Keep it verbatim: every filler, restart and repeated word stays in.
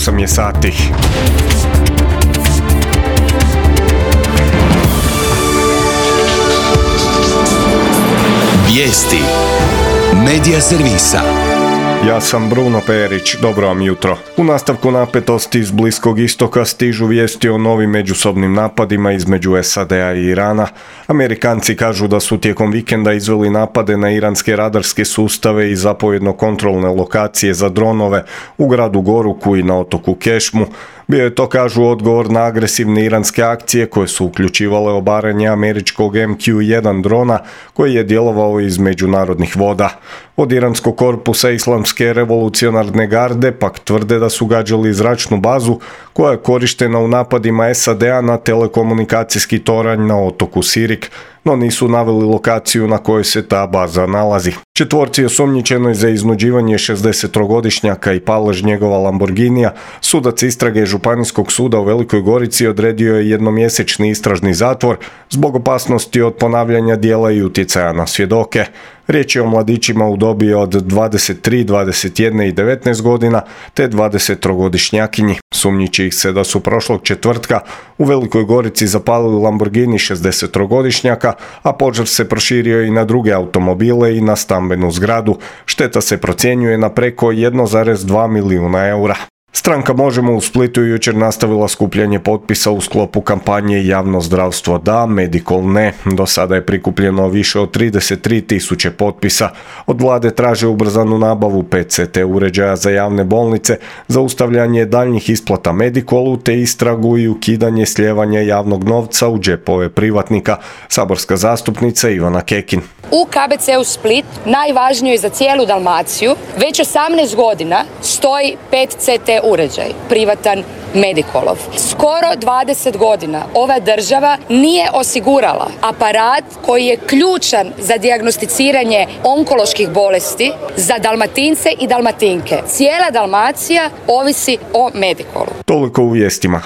osam je sati. Vijesti Medija servisa. Ja sam Bruno Perić, dobro vam jutro. U nastavku napetosti iz Bliskog istoka stižu vijesti o novim međusobnim napadima između S A D-a i Irana. Amerikanci kažu da su tijekom vikenda izveli napade na iranske radarske sustave i zapovjedno-kontrolne lokacije za dronove u gradu Goruku i na otoku Kešmu. Bio je to, kažu, odgovor na agresivne iranske akcije koje su uključivale obaranje američkog M Q jedan drona koji je djelovao iz međunarodnih voda. Od iranskog korpusa Islamske revolucionarne garde pak tvrde da su gađali zračnu bazu koja je korištena u napadima S A D-a na telekomunikacijski toranj na otoku Sirik, no nisu naveli lokaciju na kojoj se ta baza nalazi. Četvorci osumnjičenoj za iznuđivanje šezdesettrogodišnjaka i palež njegova Lamborghinija, sudac istrage Županijskog suda u Velikoj Gorici odredio je jednomjesečni istražni zatvor zbog opasnosti od ponavljanja djela i utjecaja na svjedoke. Riječ je o mladićima u dobi od dvadeset tri, dvadeset jedan i devetnaest godina te dvadesettrogodišnjakinji. Sumnjiči ih se da su prošlog četvrtka u Velikoj Gorici zapalili Lamborghini šezdesettrogodišnjaka, a požar se proširio i na druge automobile i na stambenu zgradu. Šteta se procjenjuje na preko jedan zarez dva milijuna eura. Stranka Možemo u Splitu jučer nastavila skupljanje potpisa u sklopu kampanje Javno zdravstvo da, Medikol ne. Do sada je prikupljeno više od trideset tri tisuće potpisa. Od vlade traže ubrzanu nabavu P E C T uređaja za javne bolnice, zaustavljanje daljnjih isplata Medikolu te istragu i ukidanje slijevanja javnog novca u džepove privatnika. Saborska zastupnica Ivana Kekin. U K B C-u Split, najvažnijoj za cijelu Dalmaciju, već osamnaest godina stoji P E C T uređaj, privatan Medikolov. Skoro dvadeset godina ova država nije osigurala aparat koji je ključan za dijagnosticiranje onkoloških bolesti za Dalmatince i Dalmatinke. Cijela Dalmacija ovisi o Medikolu. Toliko u vijestima.